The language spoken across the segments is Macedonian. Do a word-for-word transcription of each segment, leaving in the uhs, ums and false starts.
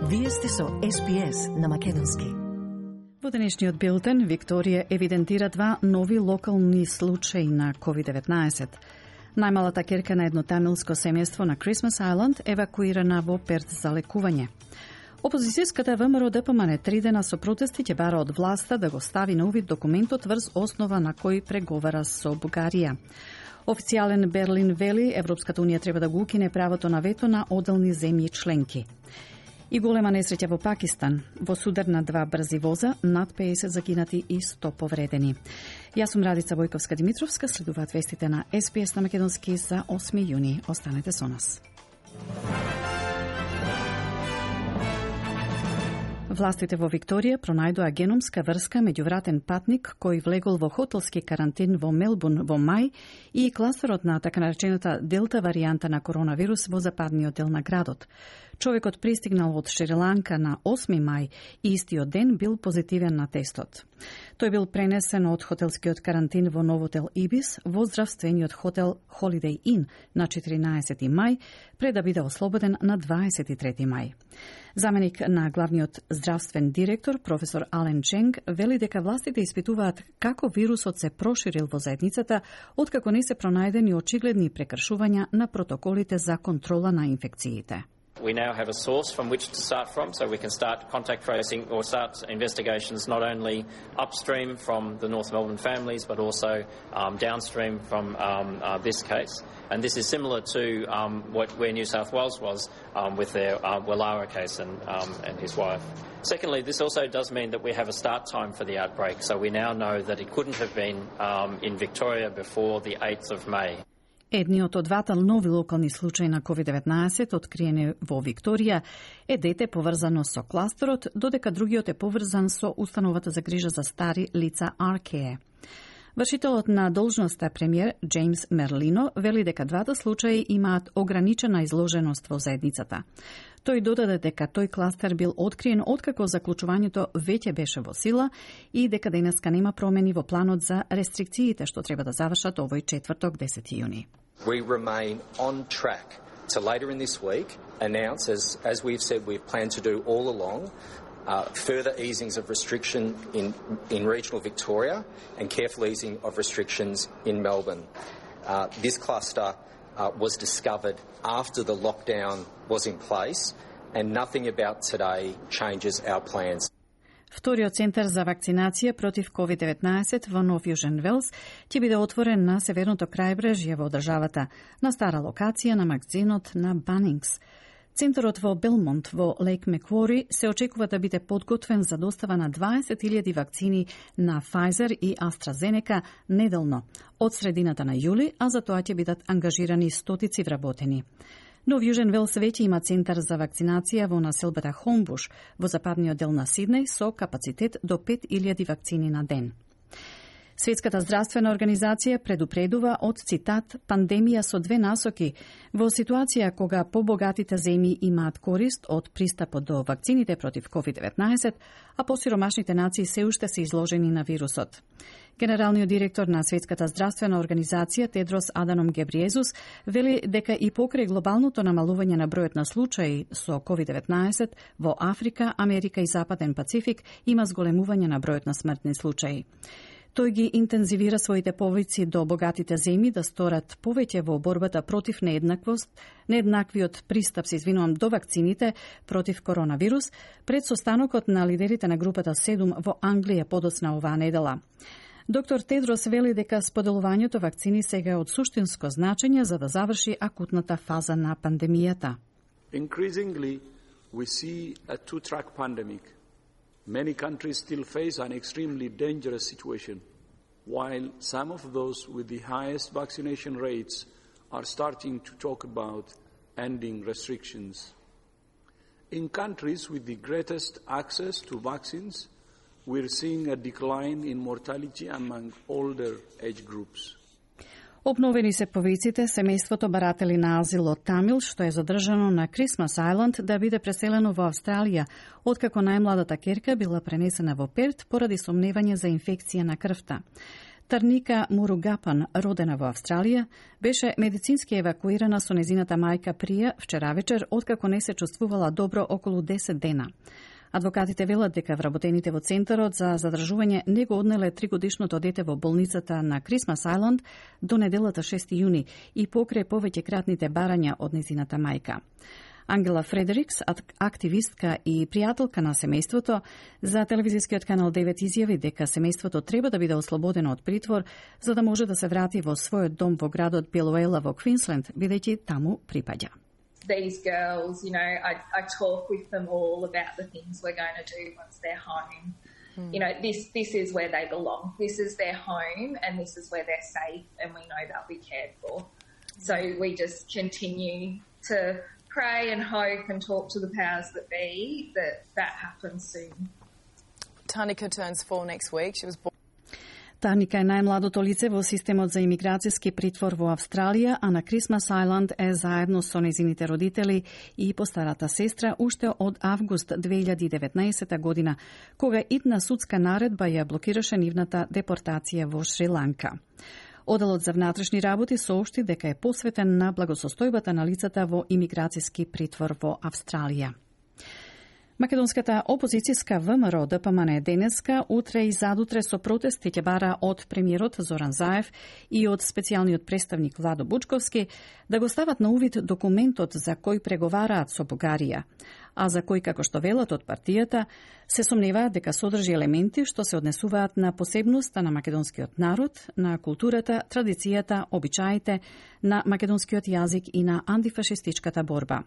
Вие сте со Ес Би Ес на македонски. Во денешниот билтен, Викторија евидентира два нови локални случаи на ковид деветнаесет. Најмалата ќерка на едно тамилско семејство на Крисмас Ајланд евакуирана во Перт за лекување. Опозицијската ВМРО Д П М Н три дена со протести ќе бара од власта да го стави на увид документот врз основа на кој преговара со Бугарија. Официјален Берлин вели Европската унија треба да го укине правото на вето на одделни земји членки. И голема несреќа во Пакистан. Во судар на два брзи воза, над педесет загинати и сто повредени. Јас сум Радица Војковска-Димитровска, следуваат вестите на Ес Би Ес на македонски за осми јуни. Останете со нас. Властите во Викторија пронајдоа геномска врска меѓу вратен патник кој влегол во хотелски карантин во Мелбурн во мај и кластерот на така наречената делта варијанта на коронавирус во западниот дел на градот. Човекот пристигнал од Шри-Ланка на осми мај и истиот ден бил позитивен на тестот. Тој бил пренесен од хотелскиот карантин во Новотел Ибис во здравствениот хотел Holiday Inn на четиринаесети мај, пред да биде ослободен на дваесет и трети мај. Заменик на главниот здравствен директор, професор Ален Ченг, вели дека властите испитуваат како вирусот се проширил во заедницата, откако не се пронајдени очигледни прекршувања на протоколите за контрола на инфекциите. We now have a source from which to start from, so we can start contact tracing or start investigations not only upstream from the North Melbourne families, but also um, downstream from um, uh, this case. And this is similar to um, what, where New South Wales was um, with their uh, Wallara case and, um, and his wife. Secondly, this also does mean that we have a start time for the outbreak, so we now know that it couldn't have been um, in Victoria before the eighth of May. Едниот од двата нови локални случаи на ковид деветнаесет откриени во Викторија е дете поврзано со кластерот, додека другиот е поврзан со установата за грижа за стари лица Аркее. Вршителот на должноста премиер Джеймс Мерлино вели дека двата случаи имаат ограничена изложеност во заедницата. Тој додаде дека тој кластер бил откриен откако заклучувањето веќе беше во сила и дека денеска нема промени во планот за рестрикциите што треба да завршат овој четврток десети јуни. We remain on track to later in this week announce, as, as we've said we've planned to do all along, uh, further easings of restriction in, in regional Victoria and careful easing of restrictions in Melbourne. Uh, this cluster uh, was discovered after the lockdown was in place and nothing about today changes our plans. Вториот центар за вакцинација против ковид деветнаесет во Нов Јужен Велс ќе биде отворен на северното крајбрежје во државата, на стара локација на магазинот на Банингс. Центарот во Белмонт во Лейк Меквори се очекува да биде подготвен за достава на дваесет илјади вакцини на Pfizer и AstraZeneca неделно од средината на јули, а за тоа ќе бидат ангажирани стотици вработени. Нов Јужен Велс веќе има центар за вакцинација во населбата Хомбуш во западниот дел на Сиднеј со капацитет до пет илјади вакцини на ден. Светската здравствена организација предупредува од цитат пандемија со две насоки во ситуација кога побогатите земји имаат корист од пристапот до вакцините против ковид деветнаесет, а посиромашните нации се уште се изложени на вирусот. Генералниот директор на Светската здравствена организација Тедрос Аданом Гебриезус вели дека и покрај глобалното намалување на бројот на случаи со ковид деветнаесет во Африка, Америка и Западен Пацифик има зголемување на бројот на смртни случаи. Тој ги интензивира своите повици до богатите земји да сторат повеќе во борбата против нееднаквост, нееднаквиот пристап, се извинувам, до вакцините против коронавирус, пред состанокот на лидерите на групата седум во Англија подоцна оваа недела. Доктор Тедрос вели дека споделувањето вакцини сега е од суштинско значење за да заврши акутната фаза на пандемијата. Increasingly, we see a two-track pandemic. Many countries still face an extremely dangerous situation, while some of those with the highest vaccination rates are starting to talk about ending restrictions. In countries with the greatest access to vaccines, we're seeing a decline in mortality among older age groups. Обновени се повиците семејството баратели на азил од Тамил, што е задржано на Крисмас Ајланд, да биде преселено во Австралија, откако најмладата ќерка била пренесена во Перт поради сомневање за инфекција на крвта. Тарника Муругапан, родена во Австралија, беше медицински евакуирана со незината мајка Прија вчера вечер, откако не се чувствувала добро околу десет дена. Адвокатите велат дека вработените во Центарот за задржување не го однеле тригодишното дете во болницата на Крисмас Ајланд до неделата шести јуни и покрај повеќе кратните барања од незината мајка. Ангела Фредерикс, активистка и пријателка на семејството, за телевизискиот канал девет изјави дека семејството треба да биде ослободено од притвор за да може да се врати во својот дом во градот Билуела во Квинсленд, бидејќи таму припаѓа. These girls, you know, I, I talk with them all about the things we're going to do once they're home. Mm. You know, this this is where they belong. This is their home and this is where they're safe and we know they'll be cared for. So we just continue to pray and hope and talk to the powers that be that that happens soon. Tarnika turns four next week. She was born. Тарника е најмладото лице во системот за имиграцијски притвор во Австралија, а на Крисмас Ајланд е заедно со незините родители и постарата сестра уште од август две илјади и деветнаесета година, кога идна судска наредба ја блокираше нивната депортација во Шри-Ланка. Оделот за внатрешни работи соопшти дека е посветен на благосостојбата на лицата во имиграцијски притвор во Австралија. Македонската опозицијска ВМРО Д П М Н денеска, утре и задутре со протести ќе бара од премиерот Зоран Заев и од специјалниот представник Владо Бучковски да го стават на увид документот за кој преговараат со Бугарија, а за кој, како што велат од партијата, се сомневаат дека содржи елементи што се однесуваат на посебноста на македонскиот народ, на културата, традицијата, обичаите, на македонскиот јазик и на антифашистичката борба.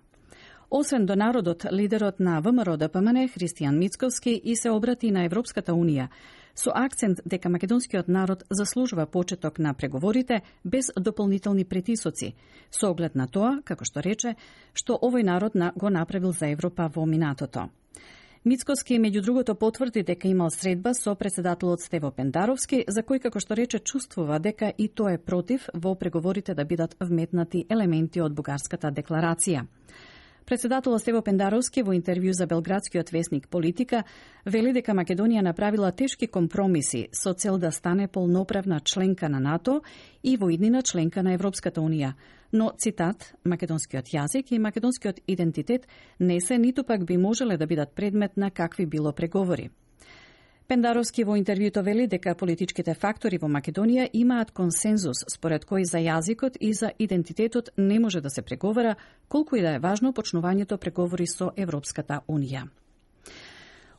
Освен до народот, лидерот на ВМРО Д П М Н Христијан Мицковски и се обрати на Европската Унија, со акцент дека македонскиот народ заслужува почеток на преговорите без дополнителни притисоци, со оглед на тоа, како што рече, што овој народ го направил за Европа во минатото. Мицковски, меѓу другото, потврди дека имал средба со председателот Стево Пендаровски, за кој, како што рече, чувствува дека и тој е против во преговорите да бидат вметнати елементи од бугарската декларација. Председателот Стево Пендаровски во интервју за белградскиот весник Политика вели дека Македонија направила тешки компромиси со цел да стане полноправна членка на НАТО и во иднина членка на Европската Унија. Но, цитат, македонскиот јазик и македонскиот идентитет не се ниту пак би можеле да бидат предмет на какви било преговори. Пендаровски во интервјуто вели дека политичките фактори во Македонија имаат консензус според кој за јазикот и за идентитетот не може да се преговара, колку и да е важно почнувањето преговори со Европската Унија.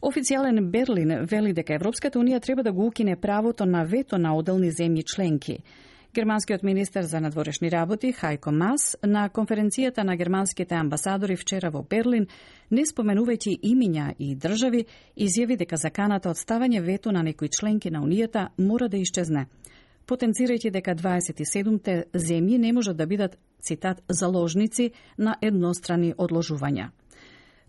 Официјален Берлин вели дека Европската Унија треба да го укине правото на вето на одделни земји членки. Германскиот министер за надворешни работи Хајко Мас на конференцијата на германските амбасадори вчера во Берлин, не споменувајќи имиња и држави, изјави дека заканата од ставање вето на некои членки на Унијата мора да исчезне, потенцирајќи дека дваесет и седумте земји не можат да бидат, цитат, заложници на еднострани одложувања.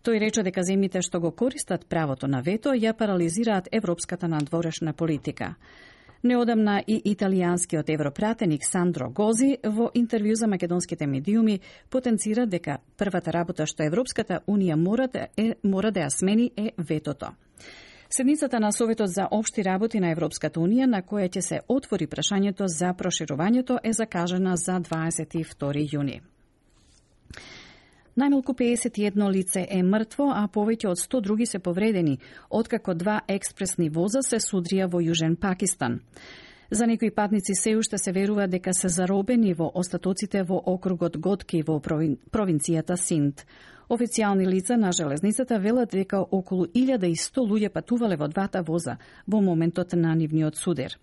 Тој рече дека земјите што го користат правото на вето ја парализираат европската надворешна политика. Неодамна и италијанскиот европратеник Сандро Гози во интервју за македонските медиуми потенцира дека првата работа што Европската Унија мора да, е, мора да ја смени е ветото. Седницата на Советот за општи работи на Европската Унија, на која ќе се отвори прашањето за проширувањето, е закажана за дваесет и втори јуни. Најмалку пеесет и едно лице е мртво, а повеќе од сто други се повредени, откако два експресни воза се судрија во Јужен Пакистан. За некои патници се уште се верува дека се заробени во остатоците во округот Готки во провинцијата Синд. Официјални лица на железницата велат дека околу илјада и сто луѓе патувале во двата воза во моментот на нивниот судер.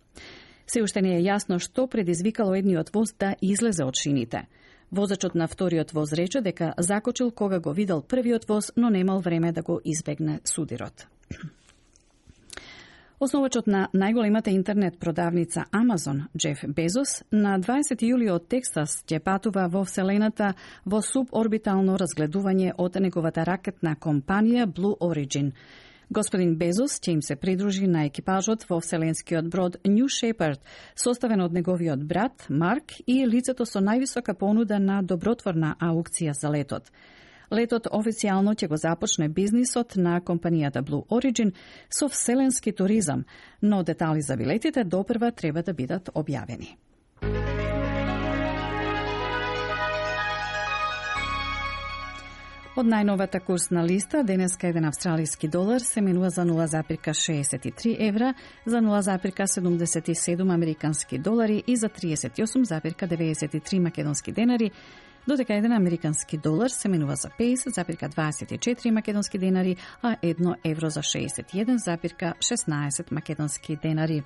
Се уште не е јасно што предизвикало едниот воз да излезе од шините. Возачот на вториот воз рече дека закочил кога го видел првиот воз, но немал време да го избегне судирот. Основачот на најголемата интернет продавница Амазон, Джеф Безос, на дваесети јули од Тексас ќе патува во Вселената во суборбитално разгледување од неговата ракетна компанија Blue Origin. Господин Безос ќе им се придружи на екипажот во вселенскиот брод New Shepard, составен од неговиот брат Марк и лицето со највисока понуда на добротворна аукција за летот. Летот официјално ќе го започне бизнисот на компанијата Blue Origin со вселенски туризам, но детали за билетите допрва треба да бидат објавени. Од најновата курсна листа, денеска еден австралиски долар се менува за нула зарез шеесет и три евра, за нула зарез седумдесет и седум американски долари и за триесет и осум зарез деветдесет и три македонски денари, додека еден американски долар се менува за педесет зарез дваесет и четири македонски денари, а едно евро за шеесет и еден зарез шеснаесет македонски денари.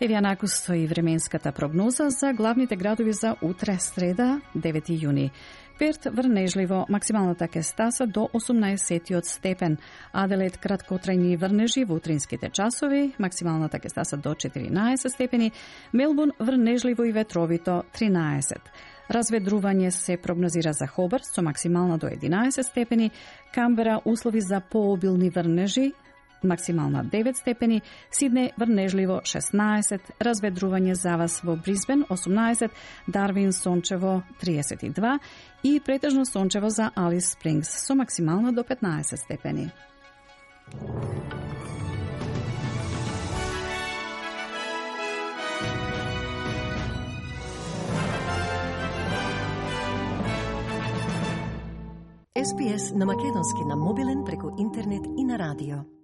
Еве ја накусто и временската прогноза за главните градови за утре, среда, девети јуни. Перт врнежливо, максималната ќе стаса до осумнаесет степен. Аделаид краткотрајни врнежи во утринските часови, максималната ќе стаса до четиринаесет степени. Мелбурн врнежливо и ветровито тринаесет. Разведрување се прогнозира за Хобарт со максимална до единаесет степени. Камбера услови за пообилни врнежи, максимална девет степени, Сиднеј врнежливо шеснаесет, разведрување за вас во Брисбен осумнаесет, Дарвин сончево триесет и два и претежно сончево за Алис Спрингс со максимална до петнаесет степени. Ес Би Ес на македонски на мобилен преку интернет и на радио.